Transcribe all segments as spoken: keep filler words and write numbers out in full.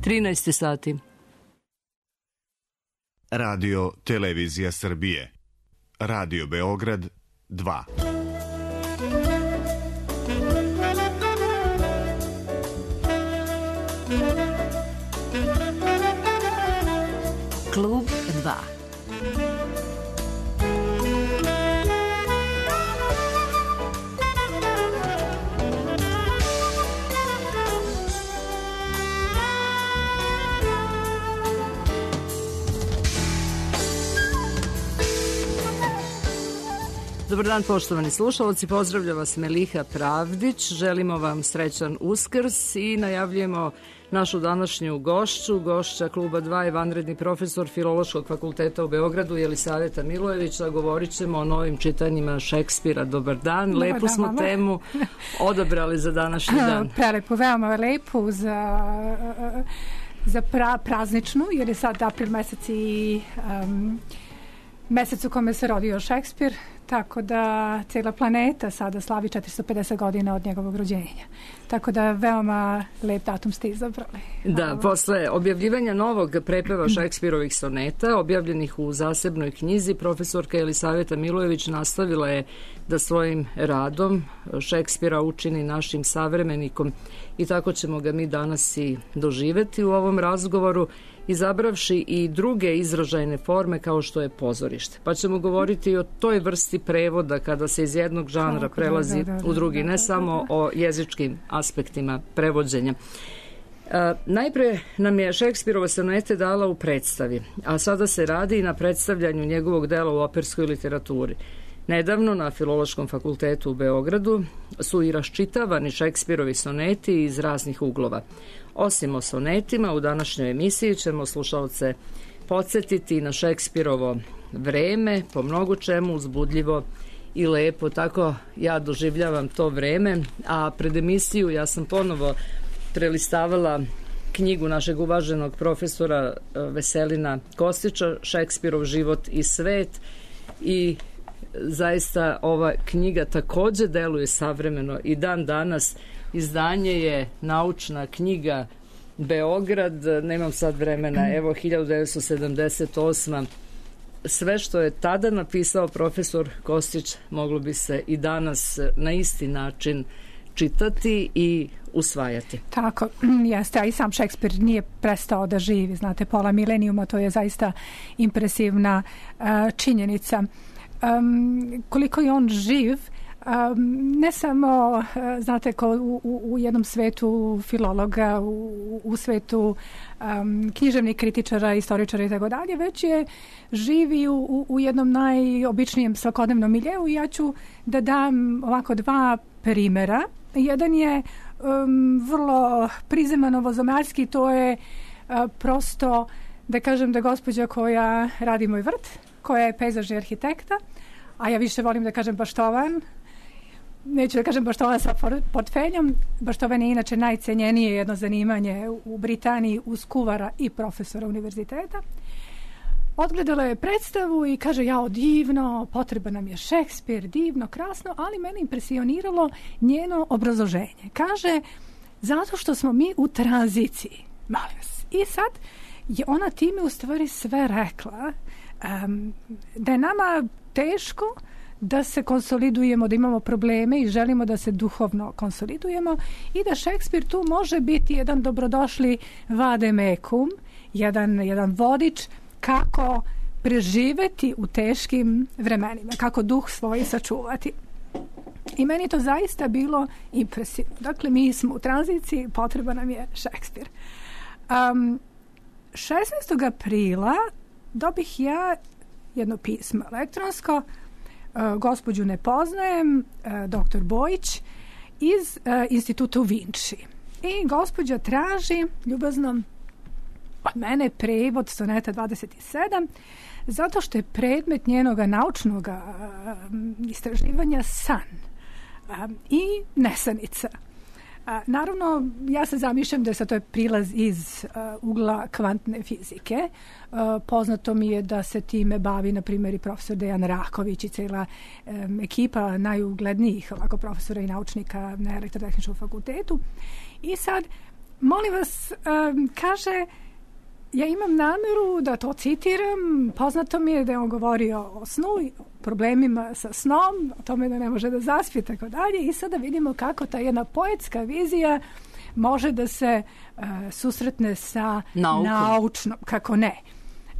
trinaest sati. Radio Televizija Srbije. Radio Beograd dva. Klub dva. Dobar dan, poštovani slušalci, pozdravlja vas Meliha Pravdić, želimo vam srećan Uskrs i najavljujemo našu današnju gošću. Gošća Kluba dva je vanredni profesor Filološkog fakulteta u Beogradu Jelisaveta Milojević, a govorit ćemo o novim čitanjima Šekspira. Dobar dan, Dobar lepu dan, smo mama. Temu odabrali za današnji dan. Prelepu, veoma lepu za, za pra, prazničnu, jer je sad april mesec i um, mesec u kome se rodio Šekspir, tako da cijela planeta sada slavi četiristo pedeset godina od njegovog rođenja. Tako da veoma lep datum ste izabrali. Da, posle objavljivanja novog prepeva Šekspirovih soneta, objavljenih u zasebnoj knjizi, profesorka Jelisaveta Milojević nastavila je da svojim radom Šekspira učini našim savremenikom i tako ćemo ga mi danas i doživeti u ovom razgovoru, izabravši i druge izražajne forme kao što je pozorište. Pa ćemo govoriti o toj vrsti prevoda kada se iz jednog žanra prelazi u drugi, ne samo o jezičkim aspektima prevođenja. E, najpre nam je Šekspirova sonete dala u predstavi, a sada se radi i na predstavljanju njegovog dela u operskoj literaturi. Nedavno na Filološkom fakultetu u Beogradu su i raščitavani Šekspirovi soneti iz raznih uglova. Osim o sonetima, u današnjoj emisiji ćemo slušalce podsjetiti na Šekspirovo vreme, po mnogo čemu uzbudljivo i lepo. Tako ja doživljavam to vreme, a pred emisiju ja sam ponovo prelistavala knjigu našeg uvaženog profesora Veselina Kostića, Šekspirov život i svet, i zaista ova knjiga takođe deluje savremeno i dan danas. Izdanje je naučna knjiga Beograd, nemam sad vremena, evo hiljadu devetsto sedamdeset osma. Sve što je tada napisao profesor Kostić moglo bi se i danas na isti način čitati i usvajati. Tako, jeste, a i sam Šekspir nije prestao da živi, znate, pola milenijuma, to je zaista impresivna uh, činjenica. Um, koliko je on živ, Um, ne samo, uh, znate, ko u, u, u jednom svetu filologa, u, u svetu um, književnih kritičara, istoričara i tako dalje, već je živi u, u, u jednom najobičnijem svakodnevnom miljeu. I ja ću da dam ovako dva primera. Jedan je um, vrlo prizeman novozamarski, to je uh, prosto, da kažem, da gospođa koja radi moj vrt, koja je pejzažni arhitekta, a ja više volim da kažem baštovan, neću da kažem baštovan sa portfeljom. Baštovan je inače najcenjenije jedno zanimanje u Britaniji uz kuvara i profesora univerziteta. Odgledala je predstavu i kaže, jao, divno, potreba nam je Šekspir, divno, krasno, ali mene impresioniralo njeno obrazloženje. Kaže, zato što smo mi u tranziciji. Molim vas. I sad je ona time u stvari sve rekla, um, da je nama teško da se konsolidujemo, da imamo probleme i želimo da se duhovno konsolidujemo i da Šekspir tu može biti jedan dobrodošli vademekum, jedan, jedan vodič kako preživeti u teškim vremenima, kako duh svoj sačuvati. I meni to zaista bilo impresivno. Dakle, mi smo u tranziciji, potreba nam je Šekspir. Um, šesnaestog aprila dobih ja jedno pismo elektronsko, uh, gospođu ne poznajem, uh, doktor Bojić iz uh, instituta u Vinči. I gospođa traži ljubazno od mene prevod soneta dvadeset sedam, zato što je predmet njenog naučnog uh, istraživanja san uh, i nesanica. A, naravno, ja se zamišljam da se to je prilaz iz uh, ugla kvantne fizike. Uh, poznato mi je da se time bavi, na primjer, i profesor Dejan Raković i cijela um, ekipa najuglednijih ovako profesora i naučnika na Elektrotehničkom fakultetu. I sad, molim vas, um, kaže, ja imam nameru da to citiram, poznato mi je da je on govorio o snu, o problemima sa snom, o tome da ne može da zaspi, tako dalje, i sada vidimo kako ta jedna poetska vizija može da se uh, susretne sa Naukom. naučnom, kako ne.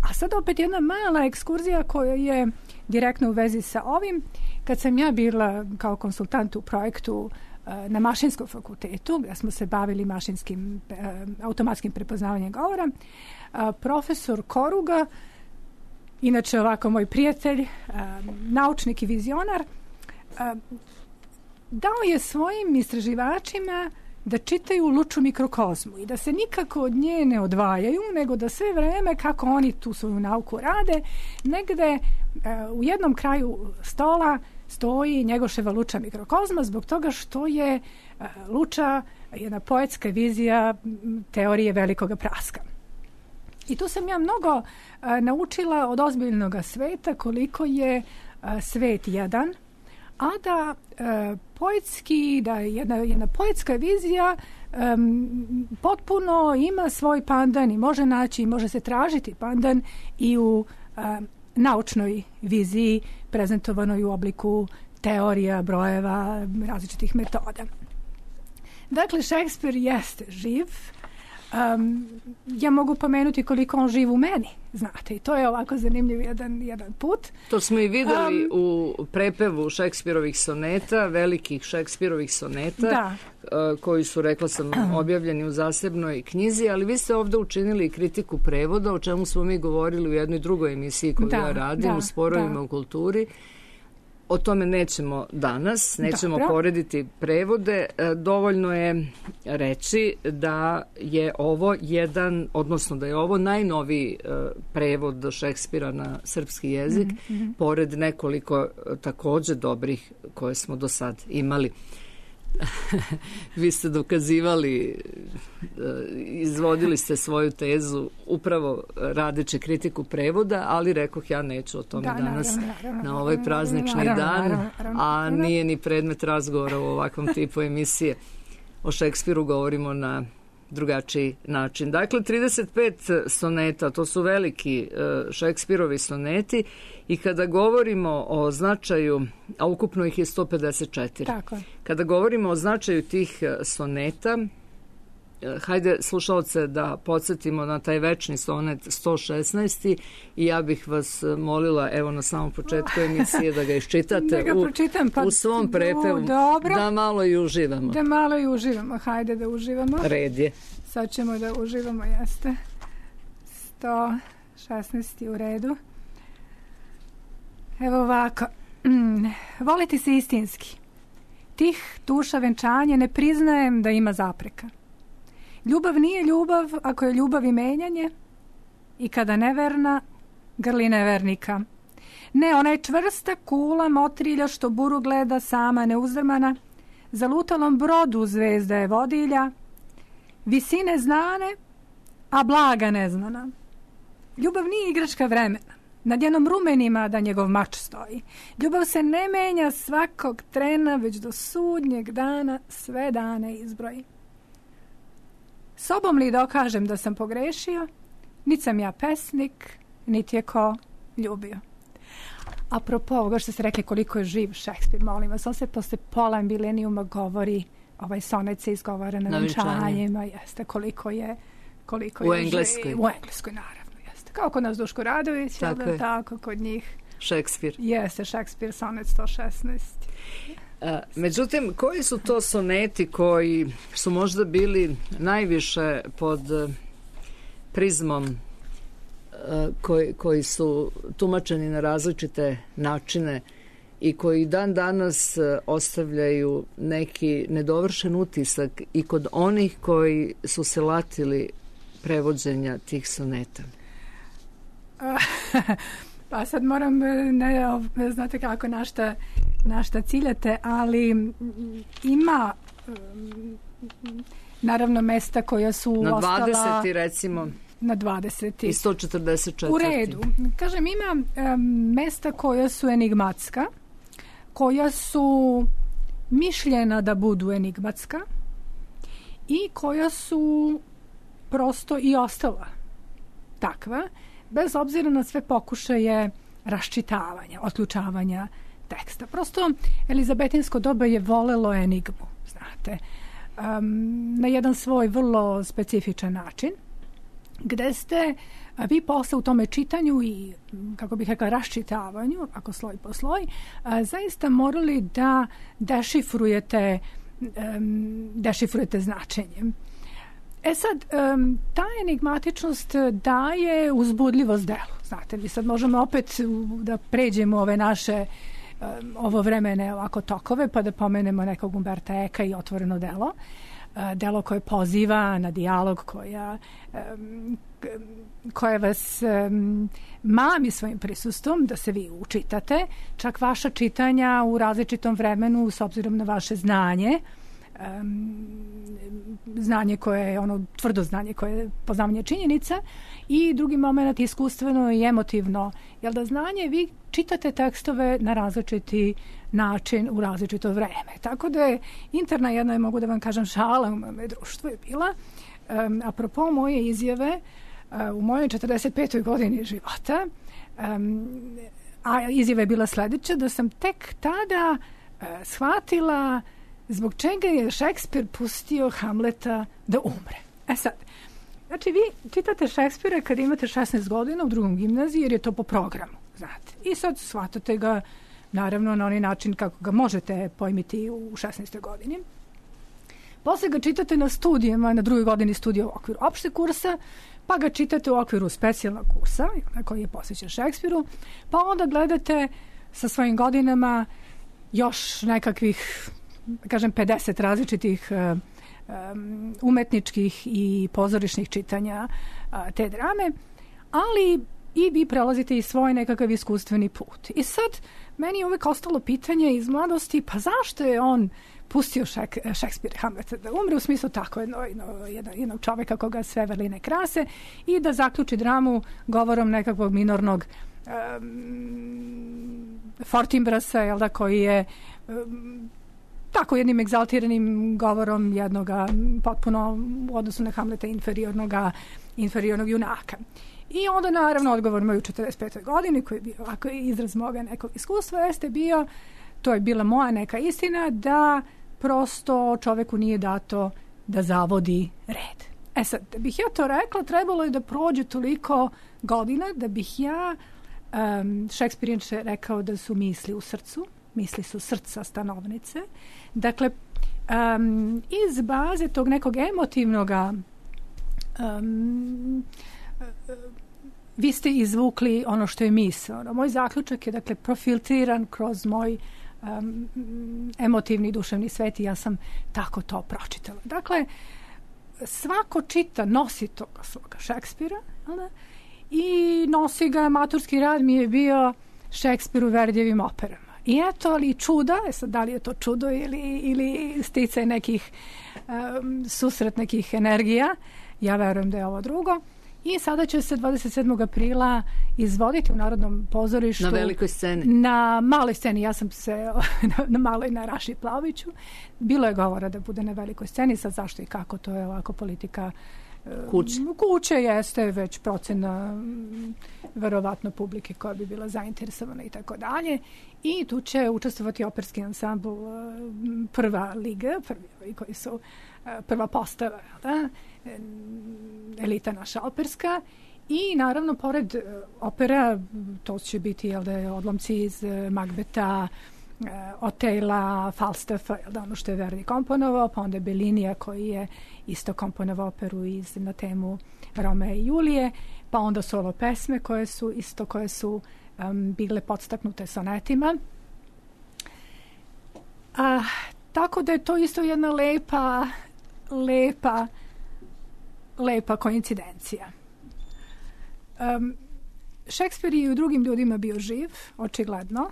A sad opet jedna mala ekskurzija koja je direktno u vezi sa ovim. Kad sam ja bila kao konsultant u projektu uh, na Mašinskom fakultetu, gdje smo se bavili mašinskim, uh, automatskim prepoznavanjem govora, uh, profesor Koruga, inače ovako moj prijatelj, uh, naučnik i vizionar, uh, dao je svojim istraživačima da čitaju Luču mikrokozmu i da se nikako od nje ne odvajaju, nego da sve vreme kako oni tu svoju nauku rade, negde e, u jednom kraju stola stoji Njegoševa Luča mikrokozma, zbog toga što je e, Luča jedna poetska vizija teorije velikoga praska. I tu sam ja mnogo e, naučila od ozbiljnog sveta, koliko je e, svet jedan, a da e, poetski, da jedna, jedna poetska vizija um, potpuno ima svoj pandan i može naći, može se tražiti pandan i u um, naučnoj viziji prezentovanoj u obliku teorija, brojeva, različitih metoda. Dakle, Šekspir jeste živ. Um, ja mogu pomenuti koliko on živ u meni, znate, i to je ovako zanimljiv jedan, jedan put. To smo i videli um, u prepevu Šekspirovih soneta, velikih Šekspirovih soneta, da. uh, koji su, rekla sam, objavljeni u zasebnoj knjizi, ali vi ste ovdje učinili kritiku prevoda, o čemu smo mi govorili u jednoj drugoj emisiji koju da, ja radim, da, u Sporovima da. u kulturi. O tome nećemo danas, nećemo Dobro. porediti prevode. Dovoljno je reći da je ovo jedan, odnosno da je ovo najnoviji prevod Šekspira na srpski jezik, mm-hmm. pored nekoliko također dobrih koje smo do sad imali. Vi ste dokazivali, izvodili ste svoju tezu upravo radeći kritiku prevoda, ali rekoh ja neću o tome da, danas naravno, naravno, na ovaj praznični naravno, dan, naravno, naravno, a nije ni predmet razgovora u ovakvom tipu emisije. O Šekspiru govorimo na drugačiji način. Dakle, trideset pet soneta, to su veliki Šekspirovi soneti, i kada govorimo o značaju, a ukupno ih je sto pedeset četiri. Tako. Kada govorimo o značaju tih soneta, hajde slušalce da podsjetimo na taj večni sonet sto šesnaest. i ja bih vas molila, evo na samom početku emisije, da ga iščitate da ga u, pročitam, pa, u svom prepevu, dobro, da malo i uživamo. Da malo i uživamo, hajde da uživamo. Red je. Sad ćemo da uživamo, jeste. sto šesnaest u redu. Evo ovako. Mm, voliti se istinski. Tih duša venčanje ne priznajem da ima zapreka. Ljubav nije ljubav ako je ljubav i menjanje, i kada neverna grli nevernika. Ne, ona je čvrsta kula motrilja što buru gleda sama neuzdrmana, za lutalom brodu zvezda je vodilja, visine znane, a blaga neznana. Ljubav nije igračka vremena, nad njenom rumenima da njegov mač stoji. Ljubav se ne menja svakog trena, već do sudnjeg dana sve dane izbroji. Sobom li dokažem da sam pogrešio, niti sam ja pesnik, niti je ko ljubio. Apropo ovoga što ste rekli koliko je živ Šekspir, molim vas, on se posle pola milenijuma govori, ovaj sonet se izgovara na venčanjima, jeste, koliko je, koliko u je Engleskoj. Živ, u Engleskoj, naravno, jeste. Kao kod nas Duško Radović, tako, je. tako kod njih. Šekspir. Jeste, Šekspir, sonet sto šesnaest. A, međutim, koji su to soneti koji su možda bili najviše pod prizmom koji, koji su tumačeni na različite načine i koji dan danas ostavljaju neki nedovršen utisak i kod onih koji su se latili prevođenja tih soneta? Pa sad moram, ne, znate kako, na šta, na šta ciljate, ali ima naravno mesta koja su na ostala... Na dvadeseti recimo. Na dvadeseti. I sto četrdeset četiri. U redu. Kažem, ima um, mesta koja su enigmatska, koja su mišljena da budu enigmatska, i koja su prosto i ostala takva, bez obzira na sve pokušaje raščitavanja, otključavanja teksta. Prosto elizabetinsko doba je volelo enigmu, znate, um, na jedan svoj vrlo specifičan način, gde ste a, vi posle u tome čitanju i, kako bih rekla, raščitavanju, ako sloj po sloj, a, zaista morali da dešifrujete, um, dešifrujete značenje. E sad, um, ta enigmatičnost daje uzbudljivost delu. Znate, mi sad možemo opet da pređemo ove naše um, ovo vremene ovako tokove, pa da pomenemo nekog Umberta Eka i Otvoreno delo. Uh, delo koje poziva na dijalog, koja, um, koje vas um, mami svojim prisustvom da se vi učitate. Čak vaša čitanja u različitom vremenu, s obzirom na vaše znanje, Um, znanje koje je ono tvrdo znanje koje je poznavanje činjenica, i drugi moment iskustveno i emotivno, jer da znanje vi čitate tekstove na različiti način u različito vreme. Tako da je interna jedna, mogu da vam kažem, šala u mome društvu je bila um, apropo moje izjave uh, u mojoj četrdeset petoj godini života, um, a izjava je bila sledeća, da sam tek tada uh, shvatila zbog čega je Šekspir pustio Hamleta da umre. E sad, znači vi čitate Šekspira kad imate šesnaest godina u drugom gimnaziji, jer je to po programu, znate. I sad shvatate ga, naravno, na onaj način kako ga možete pojmiti u šesnaestoj godini. Posle ga čitate na studijama, na drugoj godini studija u okviru opšte kursa, pa ga čitate u okviru specijalnog kursa, koji je posvećen Šekspiru, pa onda gledate sa svojim godinama još nekakvih, kažem, pedeset različitih uh, um, umetničkih i pozorišnih čitanja uh, te drame, ali i vi prelazite i svoj nekakav iskustveni put. I sad, meni je uvek ostalo pitanje iz mladosti, pa zašto je on pustio Šek, Šekspira Hamleta da umre, u smislu tako jedno, jedno, jednog čoveka koga sve vrline krase, i da zaključi dramu govorom nekakvog minornog um, Fortinbrasa, jel da, koji je um, tako jednim egzaltiranim govorom jednoga potpuno u odnosu na Hamleta inferiornoga, inferiornog junaka. I onda naravno odgovor moj u četrdeset petoj godini, koji je bio ovako izraz moga nekog iskustva, jeste bio, to je bila moja neka istina, da prosto čoveku nije dato da zavodi red. E sad, da bih ja to rekla, trebalo je da prođe toliko godina da bih ja, um, Šekspir je rekao da su misli u srcu, misli su srca stanovnice. Dakle, um, iz baze tog nekog emotivnog um, vi ste izvukli ono što je misao. Moj zaključak je, dakle, profiltriran kroz moj um, emotivni duševni svet i ja sam tako to pročitala. Dakle, svako čita, nosi toga svoga Šekspira, ali, i nosi ga, maturski rad mi je bio Šekspir u Verdijevim operama. I eto, ali čuda, sad, da li je to čudo ili, ili sticaj nekih um, susret nekih energija, ja verujem da je ovo drugo. I sada će se dvadeset sedmog aprila izvoditi u Narodnom pozorištu. Na velikoj sceni. Na maloj sceni. Ja sam se na, na maloj na Raši Plaviću. Bilo je govora da bude na velikoj sceni. Sad zašto i kako, to je ovako politika kuće. Kuće jeste već procena verovatno publike koja bi bila zainteresovana i tako dalje. I tu će učestvovati operski ansambl Prva liga, prvi koji su prva postava, da? Elita naša operska, i naravno pored opera to će biti, jel da, odlomci iz Magbeta, Otela, Falstaffa, jel da, ono što je Verdi komponovao, pa onda Bellinija koji je isto komponovao operu iz, na temu Romea i Julije, pa onda solo pesme koje su isto koje su um, bile podstaknute sonetima. A, tako da je to isto jedna lepa lepa lepa koincidencija. Um, Šekspir je i u drugim ljudima bio živ, očigledno.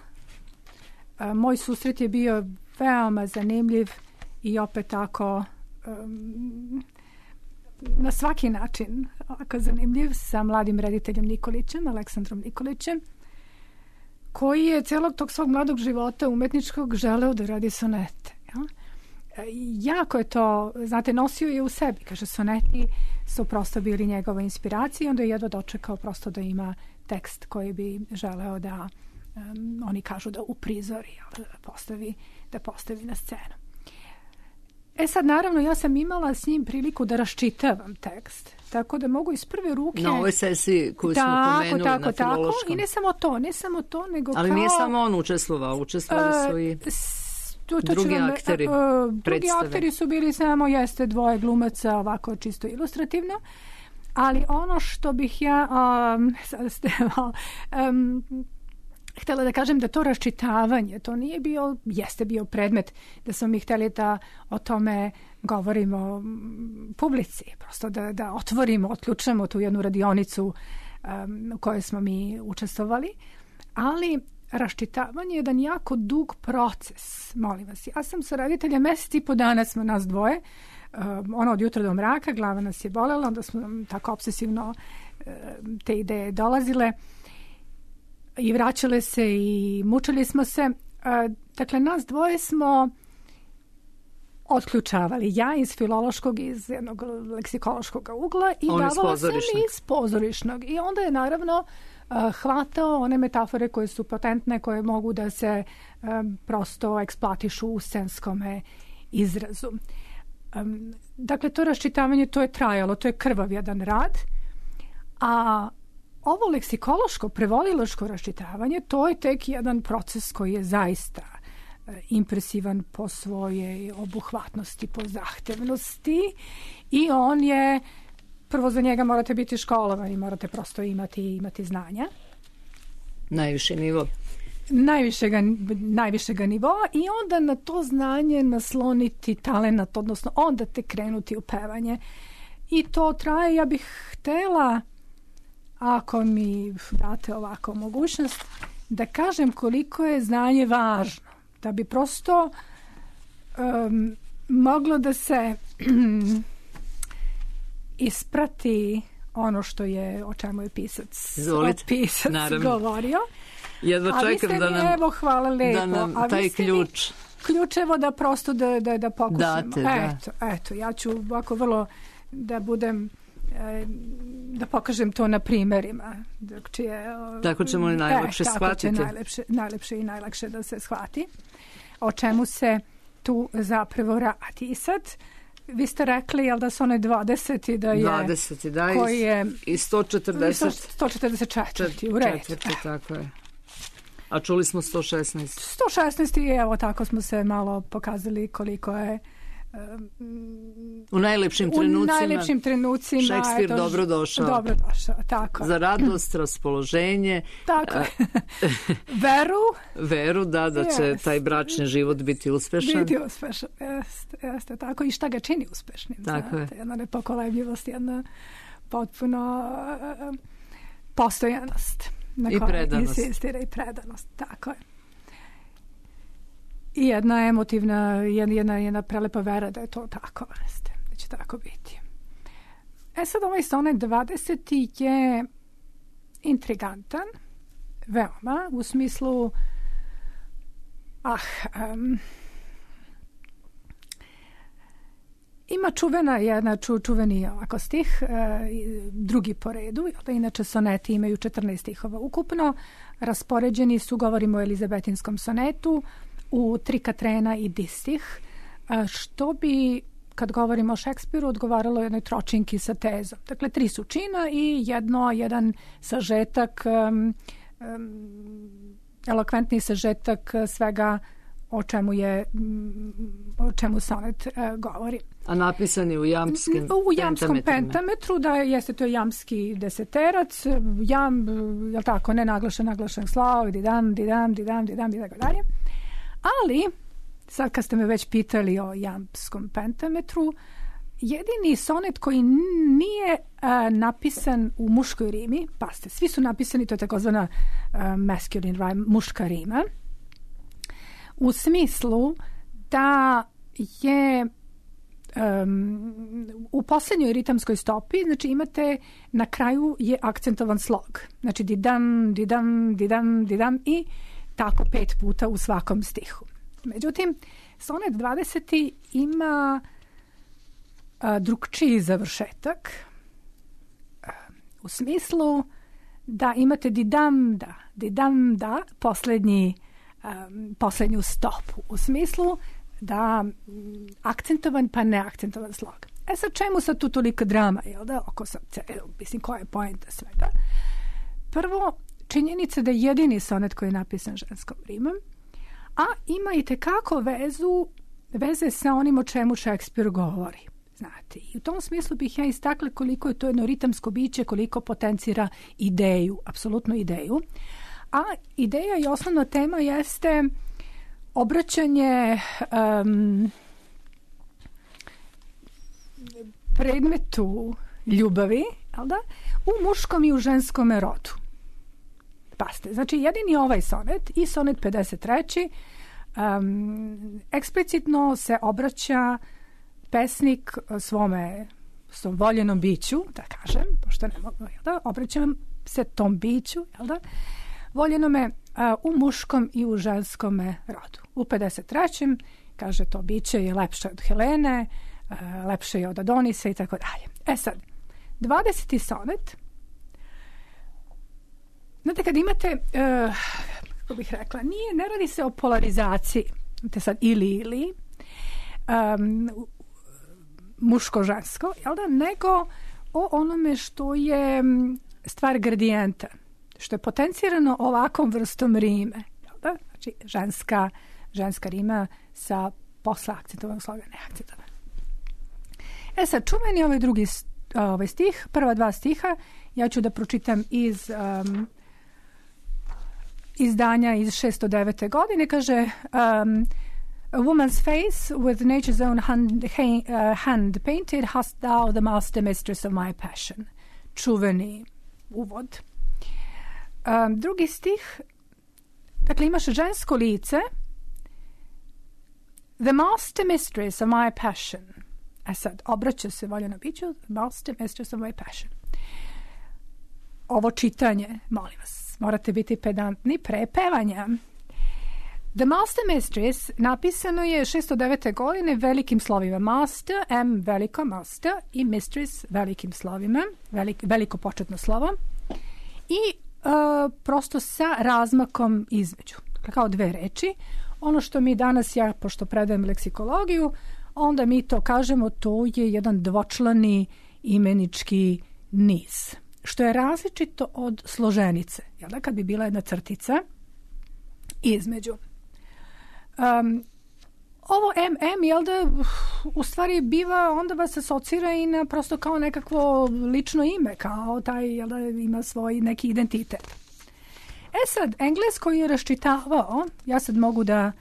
Um, moj susret je bio veoma zanimljiv i opet tako um, na svaki način ovako zanimljiv, sa mladim rediteljem Nikolićem, Aleksandrom Nikolićem, koji je celog tog svog mladog života umetničkog želeo da radi sonete. Ja? jako je to, znate, nosio je u sebi. Kaže, soneti su prosto bili njegova inspiracija i onda je jedva dočekao prosto da ima tekst koji bi želeo da, um, oni kažu da uprizori, da postavi, da postavi na scenu. E sad, naravno, ja sam imala s njim priliku da raščitavam tekst, tako da mogu iz prve ruke... Na ovoj sesiji koju smo tako, pomenuli tako, na tako. filološkom. I ne samo to, ne samo to, nego Ali kao... nije samo on učestvovao, učestvovali su i to, to drugi vam, akteri uh, uh, drugi predstave. akteri su bili samo, jeste, dvoje glumaca, ovako čisto ilustrativno. Ali ono što bih ja um, sad ste, um, htjela da kažem da to raščitavanje, to nije bio, jeste bio predmet da smo mi htjeli da o tome govorimo publici, prosto da, da otvorimo, otključamo tu jednu radionicu um, u kojoj smo mi učestvovali, ali raščitavanje je jedan jako dug proces, molim vas. Ja sam sa rediteljem mjesec i po dana smo nas dvoje, um, ono od jutra do mraka, glava nas je bolela, onda smo tako obsesivno um, te ideje dolazile i vraćale se i mučili smo se. Uh, dakle, nas dvoje smo otključavali. Ja iz filološkog, iz jednog leksikološkog ugla i davala sam iz pozorišnog. I onda je naravno uh, hvatao one metafore koje su potentne, koje mogu da se um, prosto eksploatišu u scenskome izrazu. Um, dakle, to raščitavanje, to je trajalo, to je krvav jedan rad, a ovo leksikološko, prevodilačko raščitavanje, to je tek jedan proces koji je zaista impresivan po svojej obuhvatnosti, po zahtevnosti i on je, prvo za njega morate biti školovani, morate prosto imati, imati znanja. Najviši nivo. Najvišega, najvišega nivoa i onda na to znanje nasloniti talenat, odnosno onda te krenuti u pevanje. I to traje, ja bih htela, ako mi date ovako mogućnost, da kažem koliko je znanje važno. Da bi prosto um, moglo da se isprati ono što je, o čemu je pisac, pisac govorio. Jedva čekam da nam, evo, hvala lepo. Da nam taj ključ... Ključevo da prosto da, da, da pokušamo. Date, da. Eto, eto, ja ću ovako vrlo da budem... da pokažem to na primjerima. Čije, tako ćemo li najlakše e, shvatiti. Tako će najlepše, najlepše i najlakše da se shvati o čemu se tu zapravo radi. I sad, vi ste rekli, jel da su one dvadeset i da je... dvadeset, da, koji je, i sto četrdeset. sto četrdeset četiri, u redu. Četvrti, tako je. A čuli smo sto šesnaest. sto šesnaest i evo tako smo se malo pokazali koliko je u najlepšim trenucima, u najlepšim trenucima Šekspir eto, dobro došao. Dobro došao, tako. Za radost, raspoloženje. Tako. Veru. Veru, da, da će yes. taj bračni život biti uspešan. Biti uspešan, jeste, jeste tako. I šta ga čini uspešnim. Tako znate, je. Jedna nepokolebljivost, jedna potpuno uh, postojanost. Na I predanost. Insistira i predanost, tako je. I jedna emotivna, jedna, jedna prelepa vera da je to tako, jeste, da će tako biti. E sad ovaj sonet dvadeseti je intrigantan, veoma, u smislu ah, um, ima čuvena jedna ču, čuveni ovako stih, uh, drugi po redu, da inače soneti imaju četrnaest stihova ukupno, raspoređeni su, govorimo o elizabetinskom sonetu, u tri katrena i distih, što bi, kad govorimo o Šekspiru, odgovaralo jednoj tročinki sa tezom. Dakle, tri su čina i jedno, jedan sažetak, um, um, elokventni sažetak svega o čemu je, o čemu sonet uh, govori. A napisan je u jamskim U jamskom pentametru, da jeste to jamski deseterac, jam, je tako, ne naglašen, naglašen slov, didam, didam, didam, didam, i tako dalje. Ali, sad kad ste me već pitali o jamskom pentametru, jedini sonet koji nije a, napisan u muškoj rimi, pa ste, svi su napisani, to je takozvana a, masculine rhyme, muška rima, u smislu da je um, u posljednjoj ritamskoj stopi, znači imate, na kraju je akcentovan slog. Znači didam, didam, didam, didam i tako pet puta u svakom stihu. Međutim, sonet dvadeseti ima a, drugčiji završetak a, u smislu da imate didam da, didam da, poslednji, a, poslednju stopu, u smislu da m, akcentovan pa neakcentovan slog. E sad, čemu sad tu toliko drama, jel da, oko sad, mislim, koja je poenta svega? Prvo, činjenica da je jedini sonet koji je napisan ženskom rimom, a ima i tekako vezu, veze sa onim o čemu Šekspir govori. Znate, i u tom smislu bih ja istakla koliko je to jedno ritamsko biće, koliko potencira ideju, apsolutnu ideju. A ideja i osnovna tema jeste obraćanje um, predmetu ljubavi, jel da, u muškom i u ženskom rodu. Paste, znači jedini ovaj sonet i sonet pedeset treći um, eksplicitno se obraća pesnik svome svom voljenom biću, da kažem, pošto ne mogu, jel da, obraćam se tom biću, jel da, voljenome uh, u muškom i u ženskom rodu. U pedeset trećem kaže to biće je lepše od Helene, uh, lepše je od Adonisa i tako dalje. E sad, dvadeseti sonet, znate, kad imate, uh, kako bih rekla, nije, ne radi se o polarizaciji, imate sad ili ili, um, muško-žensko, jel da, nego o onome što je stvar gradijenta, što je potencirano ovakvom vrstom rime, jel da, znači ženska, ženska rima sa posle akcentovanog sloga, neakcentovanog. E sad, čuveni ovaj drugi ovaj stih, prva dva stiha, ja ću da pročitam iz um, izdanja iz šesto devete godine, kaže um, a woman's face with nature's own hand, uh, hand painted hast thou the master mistress of my passion. Čuveni uvod. Um, drugi stih, dakle imaš žensko lice, the master mistress of my passion. A sad, obraća se voljeno biću, the master mistress of my passion. Ovo čitanje, molim vas, morate biti pedantni pre pevanja. The Master Mistress napisano je šesto devete godine velikim slovima Master, M veliko Master i Mistress velikim slovima, velik, veliko početno slovo i uh, prosto sa razmakom između, kao dve reči. Ono što mi danas, ja pošto predajem leksikologiju, onda mi to kažemo, to je jedan dvočlani imenički niz, što je različito od složenice, jel da, kad bi bila jedna crtica između. Um, ovo em em, jel da, u stvari biva, onda vas asocira i na prosto kao nekakvo lično ime, kao taj, jel da, ima svoj neki identitet. E sad, englesko je raščitavao, ja sad mogu da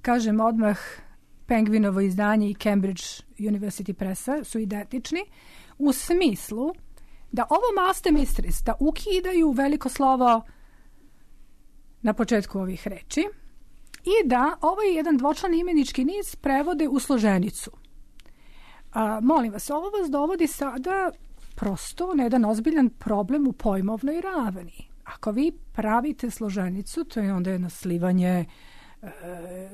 kažem odmah, Penguinovo izdanje i Cambridge University Pressa su identični, u smislu da ovo master mistress, da ukidaju veliko slovo na početku ovih reči, i da ovaj jedan dvočlani imenički niz prevode u složenicu. A, molim vas, ovo vas dovodi sada prosto na jedan ozbiljan problem u pojmovnoj ravni. Ako vi pravite složenicu, to je onda jedno slivanje, e,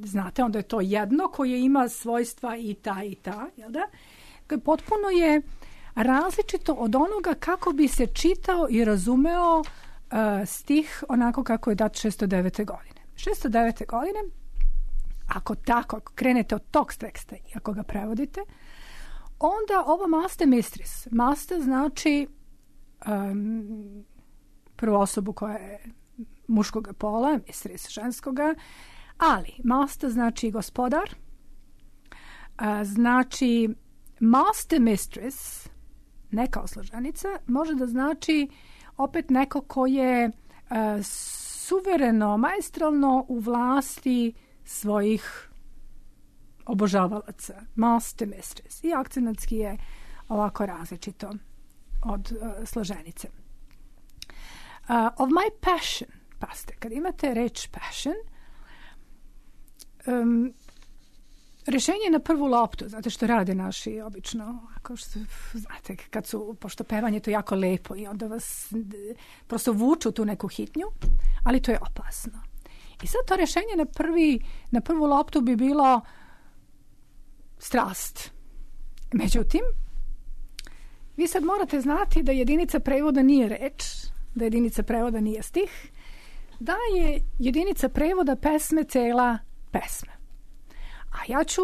znate, onda je to jedno koje ima svojstva i ta i ta, jel da? Potpuno je različito od onoga kako bi se čitao i razumeo Uh, stih onako kako je dat šesto devete godine. šesto devete godine, ako tako, ako krenete od tog teksta i ako ga prevodite, onda ovo master mistress, master znači um, prvu osobu koja je muškoga pola, mistress ženskoga, ali master znači gospodar, uh, znači master mistress, ne kao složenica, može da znači opet neko ko je uh, suvereno, maestralno u vlasti svojih obožavalaca. Master mistress. I akcenatski je ovako različito od uh, složenice. Uh, of my passion, paste, kad imate reč passion, um, rešenje na prvu loptu, znate što rade naši obično, ako što, znate, kad su, pošto pevanje to jako lepo i onda vas prosto vuču tu neku hitnju, ali to je opasno. I sad to rješenje na, prvi, na prvu loptu bi bilo strast. Međutim, vi sad morate znati da jedinica prevoda nije reč, da jedinica prevoda nije stih, da je jedinica prevoda pesme cela pesma. A ja ću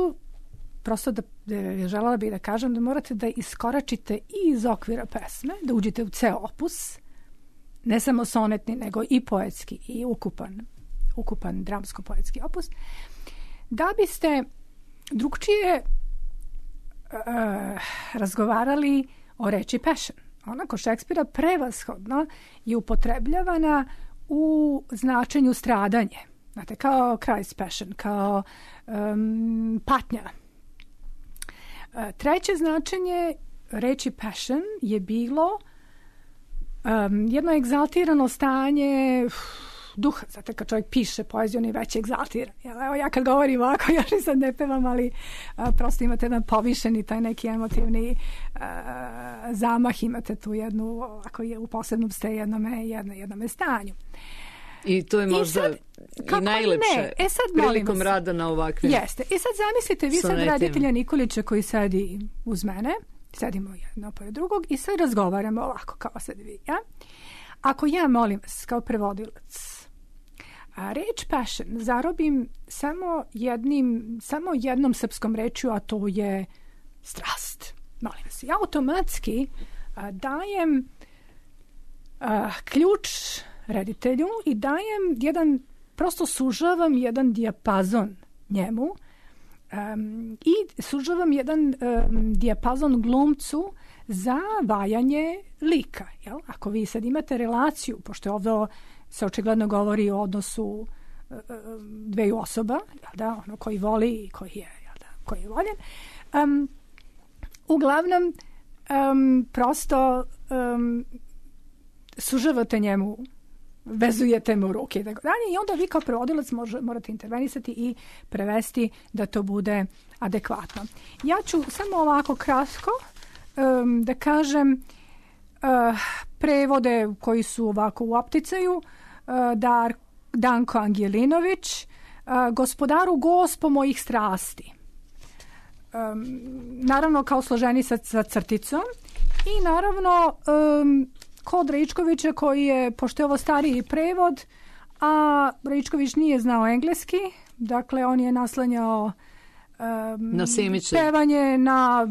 prosto da, da želela bih da kažem da morate da iskoračite i iz okvira pesme, da uđete u ceo opus, ne samo sonetni, nego i poetski i ukupan, ukupan dramsko-poetski opus, da biste drugčije uh, razgovarali o reči passion. Ona kod Šekspira prevashodno je upotrebljavana u značenju stradanje. Znate, kao Christ's passion, kao um, patnja. Treće značenje reči passion je bilo um, jedno egzaltirano stanje uf, duha. Znate, kad čovjek piše poeziju, on je već egzaltiran. Evo, ja kad govorim ovako, ja što sad ne pevam, ali a, prosto imate jedan povišeni, taj neki emotivni a, zamah, imate tu jednu, ako je u posebnom ste jednome, jedno, jednome stanju. I to je možda i, sad, i najlepše ne? E sad, prilikom vas, rada na ovakvim jeste. I sad zamislite, vi sad reditelja Nikolića koji sedi uz mene, sedimo jedno pored drugog i sad razgovaramo ovako kao sad vi. Ja? Ako ja molim vas kao prevodilac, a reč passion zarobim samo jednim, samo jednom srpskom rečju, a to je strast. Molim vas. Ja automatski a, dajem a, ključ reditelju i dajem jedan, prosto sužavam jedan dijapazon njemu um, i sužavam jedan um, dijapazon glumcu za vajanje lika. Jel? Ako vi sad imate relaciju, pošto ovdje se očigledno govori o odnosu uh, dveju osoba, jel da, ono koji voli i koji je, jel da, koji je voljen, um, uglavnom um, prosto um, sužavate njemu, vezujete mu ruke i tako dalje i onda vi kao prevodilac može, morate intervenisati i prevesti da to bude adekvatno. Ja ću samo ovako kratko um, da kažem uh, prevode koji su ovako u opticaju. Uh, Dar, Danko Angelinović, uh, Gospodaru Gospo mojih strasti. Um, naravno kao složeni sa, sa crticom i naravno um, kod Raičkovića koji je, pošto je ovo stariji prevod, a Raičković nije znao engleski, dakle on je naslanjao um, na Simića. Pevanje na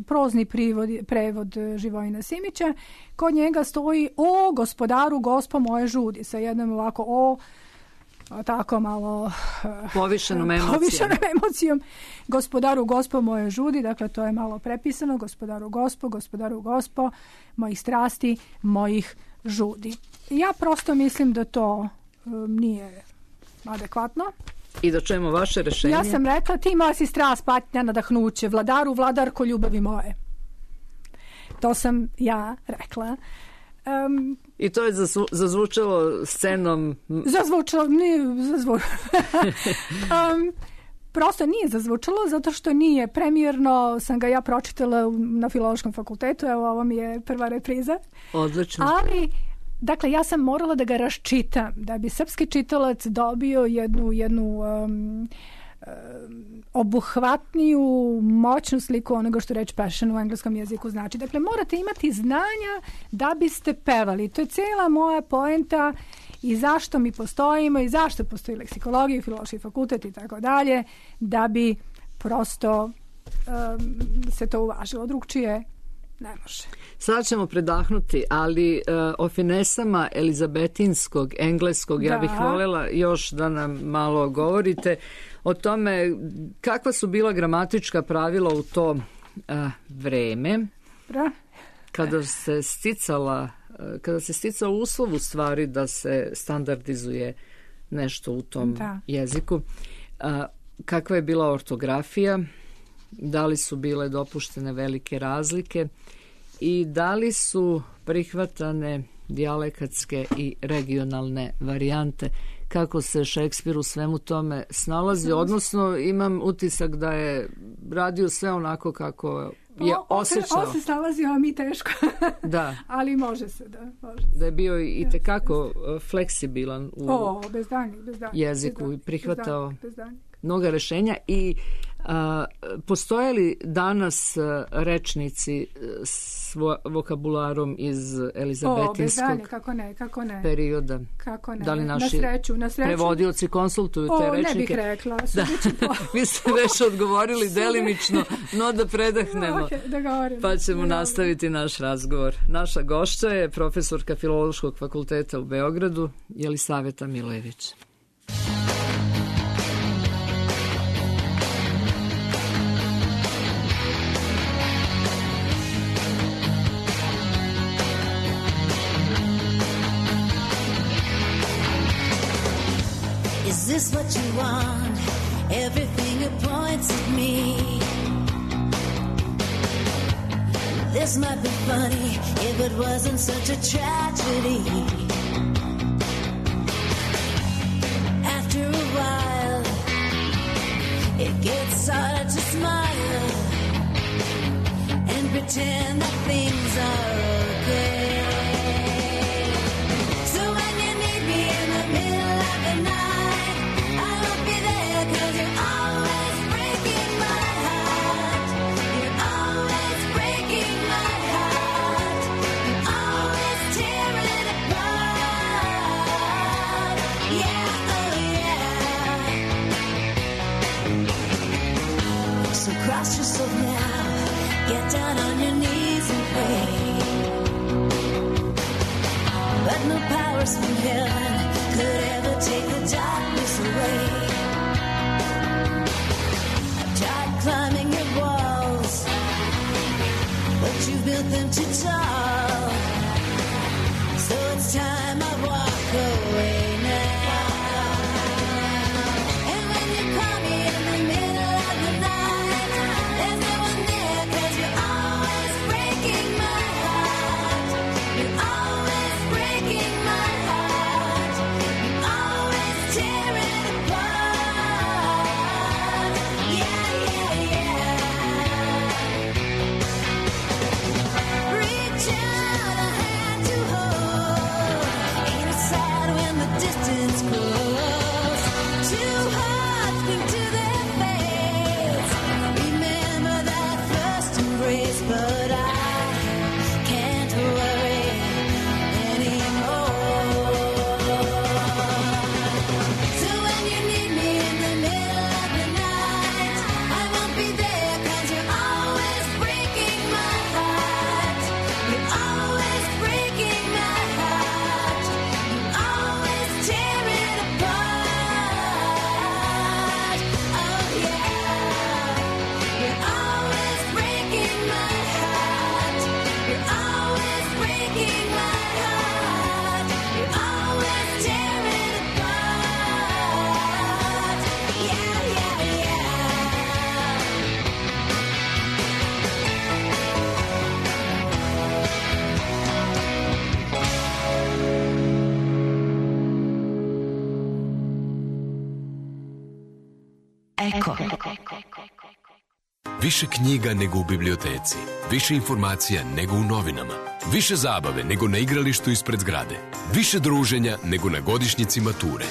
prozni prevod, prevod Živojina Simića. Kod njega stoji o gospodaru gospo moje žudi, sa jednom ovako o tako malo povišenom emocijom. povišenom emocijom gospodaru gospo moje žudi, dakle to je malo prepisano, gospodaru gospo, gospodaru gospo mojih strasti, mojih žudi. Ja prosto mislim da to um, nije adekvatno. I da čujemo vaše rešenje. Ja sam rekla, ti moja si strast, patnja, nadahnuće, vladaru, vladarko ljubavi moje. To sam ja rekla. Um, I to je zazvu, zazvučalo scenom... Zazvučalo, nije zazvučalo. um, prosto nije zazvučalo, zato što nije premijerno, sam ga ja pročitala na Filološkom fakultetu, evo ovo mi je prva repriza. Odlično. Ali, dakle, ja sam morala da ga raščitam, da bi srpski čitalac dobio jednu, jednu um, um, obuhvatniju, moćnu sliku onoga što reč passion u engleskom jeziku znači. Dakle, morate imati znanja da biste pevali. To je cijela moja poenta i zašto mi postojimo i zašto postoji leksikologija i filološki fakultet i tako dalje, da bi prosto um, se to uvažilo. Drugčije ne može. Sada ćemo predahnuti, ali uh, o finesama elizabetinskog, engleskog, da. Ja bih voljela još da nam malo govorite o tome kakva su bila gramatička pravila u to uh, vreme da. kada se sticala uh, kada se sticao uslov u stvari da se standardizuje nešto u tom da. jeziku. Uh, kakva je bila ortografija, da li su bile dopuštene velike razlike i da li su prihvatane dijalekatske i regionalne varijante, kako se Šekspir u svemu tome snalazi, odnosno imam utisak da je radio sve onako kako je osjećao. On se snalazio, a mi teško. Da. Ali može se, da. Može da je bio i tekako fleksibilan u o, bez danjeg, bez danjeg, jeziku bez i prihvatao bez danjeg, bez danjeg. mnoga rešenja i a, postoje li danas a, rečnici s vo, vokabularom iz elizabetinskog o, bez danjeg, kako ne, kako ne. perioda? Kako ne, da li naši na sreću, na sreću. prevodioci konsultuju te o, rečnike? O, ne bih rekla. Da. Po... Vi ste već odgovorili delimično, no da predahnemo, okay, da govorim, pa ćemo da nastaviti naš razgovor. Naša gošća je profesorka Filološkog fakulteta u Beogradu, Jelisaveta Milojević. Is this what you want? Everything it points at me. This might be funny if it wasn't such a tragedy. After a while, it gets harder to smile and pretend that things are okay. So when you need me in the middle of the night, I won't be there 'cause you're always breaking my heart. You're always breaking my heart. You always tear it apart. Yeah, oh yeah. So cross yourself now, get down on your knees and pray. But no powers from heaven could ever take the darkness away. I've tried climbing your walls, but you built them too tall. So it's time I walk away now. And when you call me in the middle of the night, there's no one there 'cause you're always breaking my heart. You're always breaking my heart. You always tear it apart. Yeah, yeah, yeah. Reach out a hand to hold. Ain't it sad when the distance grows? Two hearts cling to their fates. Remember that first embrace, but I can't worry anymore. So when you need me in the middle of the night, I won't be there 'cause you're always breaking my heart. You're always breaking my heart. You always tear it apart. Oh yeah. You're always breaking my heart. You're always breaking my heart. You always tear it apart. Yeah, yeah, yeah. Eko. Više knjiga nego u biblioteci, više informacija nego u novinama, više zabave nego na igralištu ispred zgrade, više druženja nego na godišnjici mature.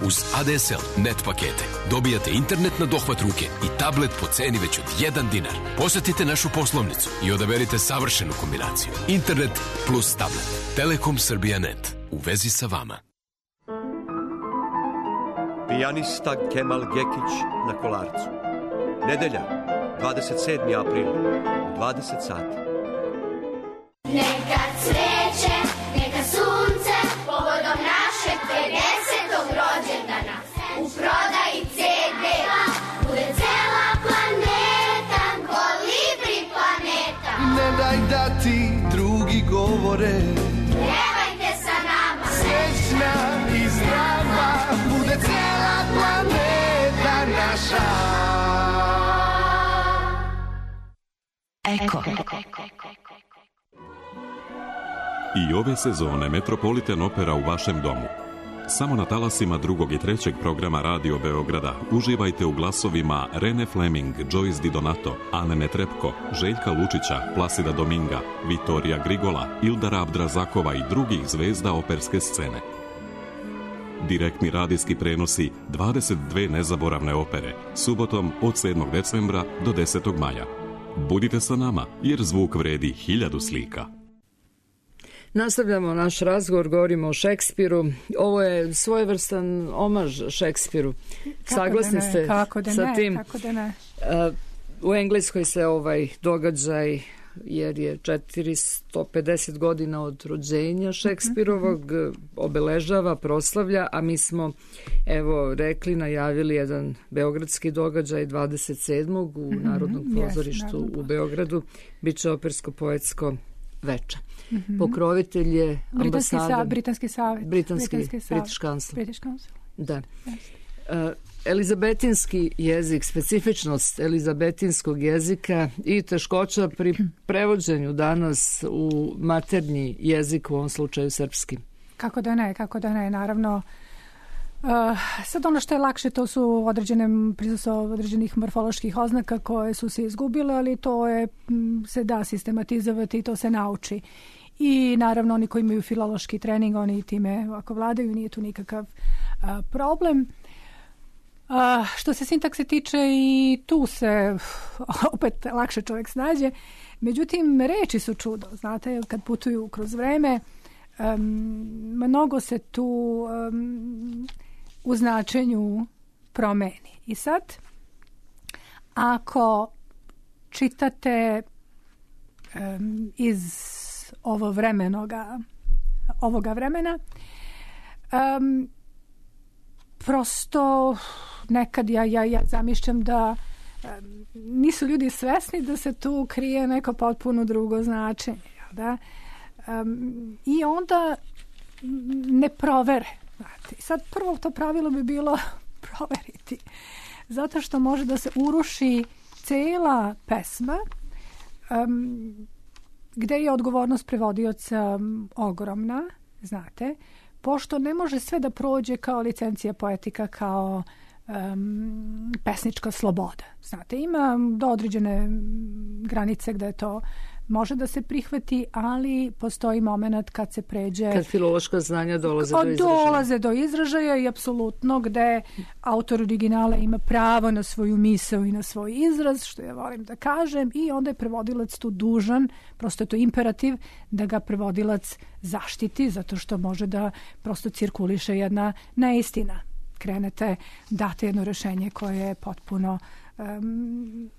Uz A D S L Net pakete dobijate internet na dohvat ruke i tablet po ceni već od jedan dinar. Posetite našu poslovnicu i odaberite savršenu kombinaciju. Internet plus tablet. Telekom Srbija Net. U vezi sa vama. Pijanista Kemal Gekić na Kolarcu. Nedelja, dvadeset sedmi april, dvadeset sati. Neka cveće, neka sunce, povodom našeg pedesetog rođendana. U prodaji ce de bude cela planeta, Kolibri planeta. Ne daj da ti drugi govore, Pevajte sa nama, srećna i zdrava, bude cela planeta naša. Eko. I ove sezone Metropolitan Opera u vašem domu. Samo na talasima drugog i trećeg programa Radio Beograda uživajte u glasovima Rene Fleming, Joyce Di Donato, Ane Netrepko, Željka Lučića, Plasida Dominga, Vitorija Grigola, Ildara Abdrazakova i drugih zvezda operske scene. Direktni radijski prenosi dvadeset dve nezaboravne opere, subotom od sedmog decembra do desetog maja. Budite sa nama, jer zvuk vredi hiljadu slika. Nastavljamo naš razgovor, govorimo o Šekspiru. Ovo je svojevrstan omaž Šekspiru. Saglasni da ne, ste kako da sa ne, tim? Kako da ne. Uh, u Engleskoj se ovaj događaj, jer je četiristo pedeset godina od rođenja Šekspirovog, obeležava, proslavlja, a mi smo, evo, rekli, najavili jedan beogradski događaj dvadeset sedmog u Narodnom pozorištu yes, u Beogradu. Biće opersko-poetsko veče. Mm-hmm. Pokrovitelj je ambasada... Britanski savjet. Britanski, Britanski British Council. British Council. Da. Yes. Uh, elizabetinski jezik, specifičnost elizabetinskog jezika i teškoća pri prevođenju danas u maternji jezik, u ovom slučaju srpski. Kako da ne, kako da ne, naravno. Uh, sad ono što je lakše, to su određene prisustvo određenih morfoloških oznaka koje su se izgubile, ali to je, se da sistematizovati i to se nauči. I naravno oni koji imaju filološki trening, oni time ovako vladaju, nije tu nikakav uh, problem. Uh, što se sintakse tiče, i tu se opet lakše čovjek snađe. Međutim, reči su čudo, znate, kad putuju kroz vreme, um, mnogo se tu um, u značenju promeni. I sad, ako čitate um, iz ovo vremenoga, ovoga vremena, um, prosto nekad ja, ja, ja zamišljam da um, nisu ljudi svesni da se tu krije neko potpuno drugo značenje. Da? Um, I onda ne provere. Znate. Sad prvo to pravilo bi bilo proveriti. Zato što može da se uruši cela pesma um, gde je odgovornost prevodioca um, ogromna, znate, pošto ne može sve da prođe kao licencija poetika, kao um, pesnička sloboda. Znate, ima do određene granice gde to može da se prihvati, ali postoji moment kad se pređe... Kad filološka znanja dolaze do izražaja. Dolaze do izražaja i apsolutno gde autor originala ima pravo na svoju misao i na svoj izraz, što ja volim da kažem, i onda je prevodilac tu dužan, prosto je to imperativ, da ga prevodilac zaštiti, zato što može da prosto cirkuliše jedna neistina. Krenete, date jedno rešenje koje je potpuno Um,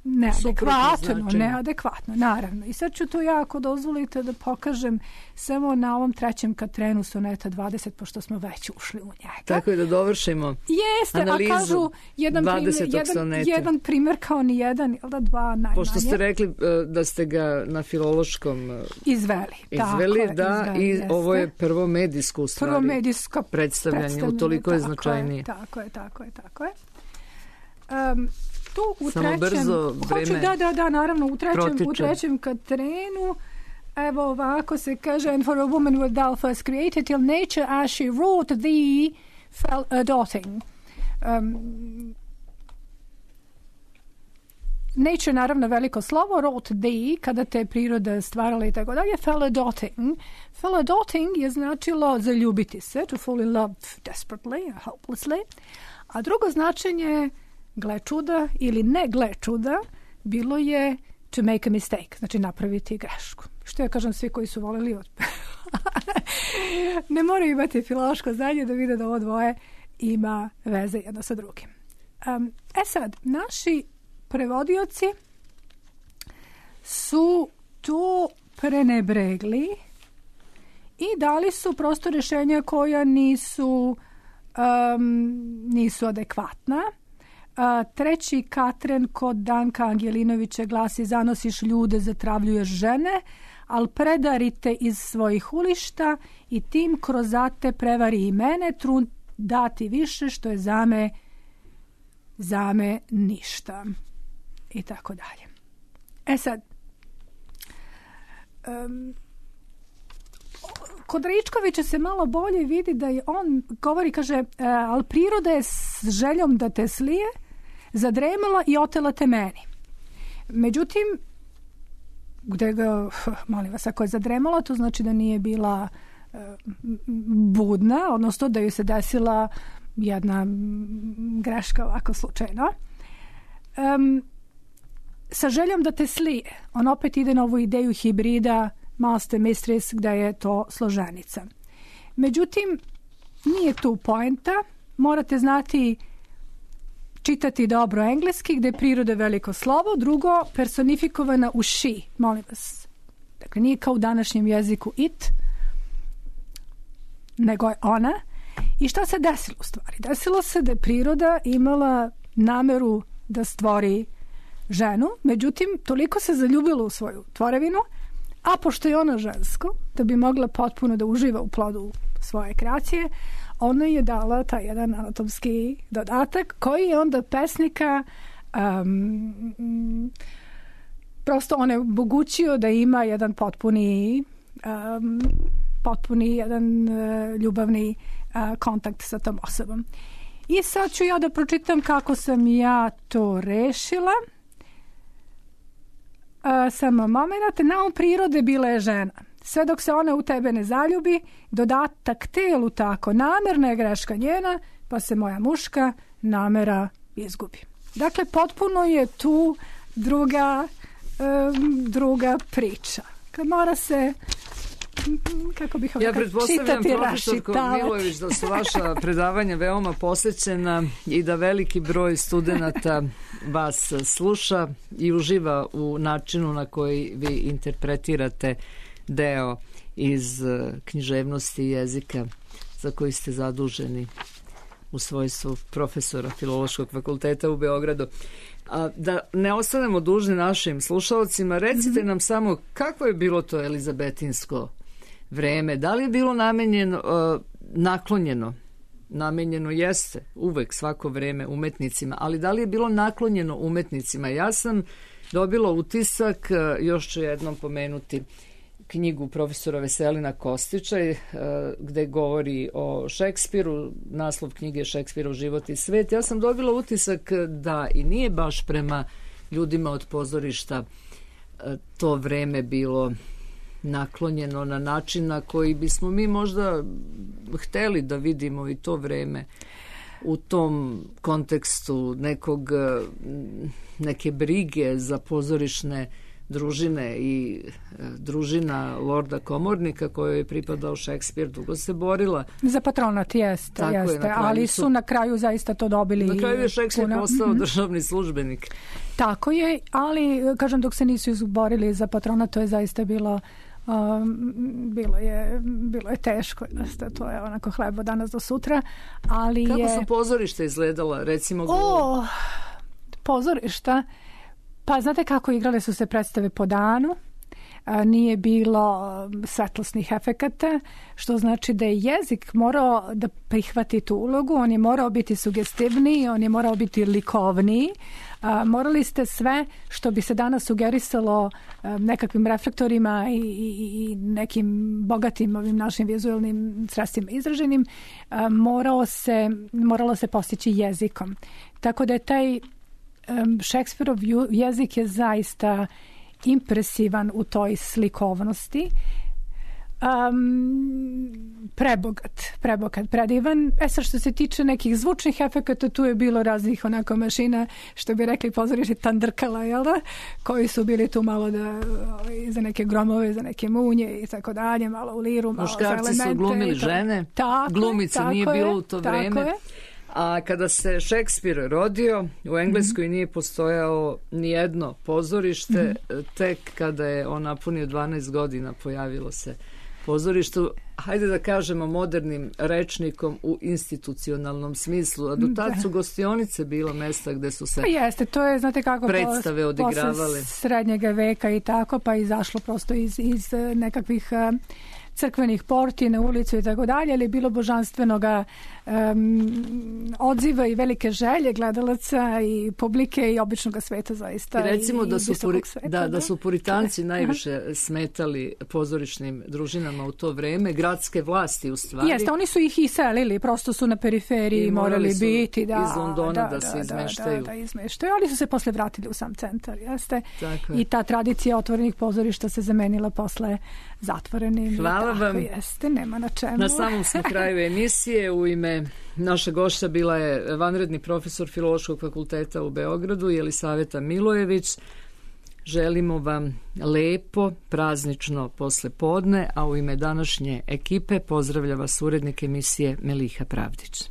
neadekvatno, neadekvatno, naravno. I sad ću to ja, ako dozvolite, da pokažem samo na ovom trećem katrenu soneta dvadeset, pošto smo već ušli u njega. Tako je, da dovršimo Jeste, analizu a kažu jedan dvadesetog primjer, jedan, soneta. Jedan primjer kao ni jedan, ili da dva najmanje. Pošto ste rekli da ste ga na filološkom izveli. Izveli, tako, da, izveli, i jeste. ovo je prvo medijsko u stvari. Prvo medijsko predstavljanje, predstavljanje, utoliko je tako značajnije. Tako je, tako je, tako je. Um, tu u Samo trećem, brzo vreme hoću, da, da, da, naravno, u trećem, protiče. u trećem katrenu, evo ovako se kaže, and for a woman was thou first created, till nature as she wrought thee fell a dotting. Um, nature, naravno, veliko slovo, wrought thee, kada te priroda stvarala i tako dalje, fell a dotting. Fell a dotting je značilo zaljubiti se, to fall in love desperately, hopelessly. A drugo značenje, gle čuda ili ne gle čuda, bilo je to make a mistake, znači napraviti grešku. Što ja kažem, svi koji su voleli od... ne moraju imati filološko znanje da vide da ovo dvoje ima veze jedno sa drugim. Um, e sad, naši prevodioci su to prenebregli i dali su prosto rješenja koja nisu um, nisu adekvatna. Uh, treći katren kod Danka Angelinovića glasi: zanosiš ljude, zatravljuješ žene, al predarite iz svojih ulišta i tim krozate prevari i mene, trud dati više što je zame zame ništa. I tako dalje. E sad, um, kod Ričkovića se malo bolje vidi da je on govori, kaže, e, ali priroda je s željom da te slije, zadremala i otela te meni. Međutim, gde ga, molim vas, ako je zadremala, to znači da nije bila e, budna, odnosno da joj se desila jedna greška ovako slučajno. Um, sa željom da te slije, on opet ide na ovu ideju hibrida Master Mistress, gde je to složenica. Međutim, nije tu poenta, morate znati čitati dobro engleski, gde je priroda veliko slovo, drugo, personifikovana u she, molim vas. Dakle, nije kao u današnjem jeziku it, nego je ona. I šta se desilo u stvari? Desilo se da je priroda imala nameru da stvori ženu, međutim, toliko se zaljubila u svoju tvorevinu, a pošto je ona žensko, da bi mogla potpuno da uživa u plodu svoje kreacije, ona je dala taj jedan anatomski dodatak koji je onda pesnika um, prosto on je omogućio da ima jedan potpuni um, potpuni jedan uh, ljubavni uh, kontakt sa tom osobom. I sad ću ja da pročitam kako sam ja to rešila. Uh, samo moment, naum prirode bila je žena. Sve dok se ona u tebe ne zaljubi, dodatak telu tako, namerna je greška njena, pa se moja muška namera izgubi. Dakle, potpuno je tu druga, um, druga priča. Kad mora se, kako bih ja pretpostavljam, profesorko Milojević, da su vaša predavanja veoma posećena i da veliki broj studenata vas sluša i uživa u načinu na koji vi interpretirate deo iz književnosti jezika za koji ste zaduženi u svojstvu profesora Filološkog fakulteta u Beogradu. A, da ne ostanemo dužni našim slušalcima, recite mm-hmm. nam samo kako je bilo to elizabetinsko vreme, da li je bilo namenjeno, uh, naklonjeno, namenjeno jeste uvek svako vreme umetnicima, ali da li je bilo naklonjeno umetnicima? Ja sam dobila utisak, uh, još ću jednom pomenuti knjigu profesora Veselina Kostića, uh, gde govori o Šekspiru, naslov knjige je Šekspirov život i svet. Ja sam dobila utisak da i nije baš prema ljudima od pozorišta uh, to vreme bilo naklonjeno na način na koji bismo mi možda hteli da vidimo i to vreme u tom kontekstu nekog, neke brige za pozorišne družine i družina Lorda Komornika kojoj je pripadao Šekspir, dugo se borila. Za patronat, jeste, jeste je, ali su, su na kraju zaista to dobili. Na kraju je Šekspir puno postao mm-hmm. državni službenik. Tako je, ali kažem, dok se nisu izborili za patronat, to je zaista bilo Um, bilo je bilo je teško, to je onako hlebo danas do sutra, ali kako je... su pozorišta izgledala, recimo? O, pozorišta, pa znate kako igrale su se predstave po danu, a, nije bilo svetlosnih efekata, što znači da je jezik morao da prihvati tu ulogu, on je morao biti sugestivniji, on je morao biti likovniji. A, morali ste sve što bi se danas sugerisalo a, nekakvim reflektorima i, i, i nekim bogatim ovim našim vizualnim sredstvima izraženim, a, morao se, moralo se postići jezikom. Tako da je taj um, Šekspirov jezik je zaista impresivan u toj slikovnosti. Um, prebogat, prebogat, predivan. E sad što se tiče nekih zvučnih efekata, tu je bilo raznih onako mašina, što bi rekli pozorišni tandrkala, jel da? Koji su bili tu malo da, za neke gromove, za neke munje i tako dalje, malo u liru, malo za elemente. Muškarci su glumili žene, tako, glumice tako nije je, bilo u to vreme. je. A kada se Šekspir rodio, u Engleskoj mm-hmm. nije postojao nijedno pozorište, mm-hmm. tek kada je on napunio dvanaest godina pojavilo se pozorištu, hajde da kažemo modernim rečnikom u institucionalnom smislu, a do tad su gostionice bilo mesta gde su se pa jeste, to je, znate kako, predstave odigravale. Posle srednjega veka i tako, pa izašlo prosto iz, iz nekakvih uh, crkvenih porti na ulicu i tako dalje, ali je bilo božanstvenoga um, odziva i velike želje gledalaca i publike i običnog sveta zaista. I recimo i, da, su i puri, sveta, da, da da su puritanci najviše smetali pozorišnim družinama u to vreme, gradske vlasti u stvari. Jeste, oni su ih iselili, prosto su na periferiji I morali morali su biti. Da, iz Londona da, da, da se da, izmeštaju. Da, da, izmeštaju, ali su se posle vratili u sam centar, jeste. Tako je. I ta tradicija otvorenih pozorišta se zamenila posle zatvorenim. Hvala tako vam. Jeste, nema na čemu. Na samom smo kraju emisije. U ime naša gošća bila je vanredni profesor Filološkog fakulteta u Beogradu, Jelisaveta Milojević. Želimo vam lepo, praznično poslepodne, a u ime današnje ekipe pozdravlja vas urednik emisije Meliha Pravdić.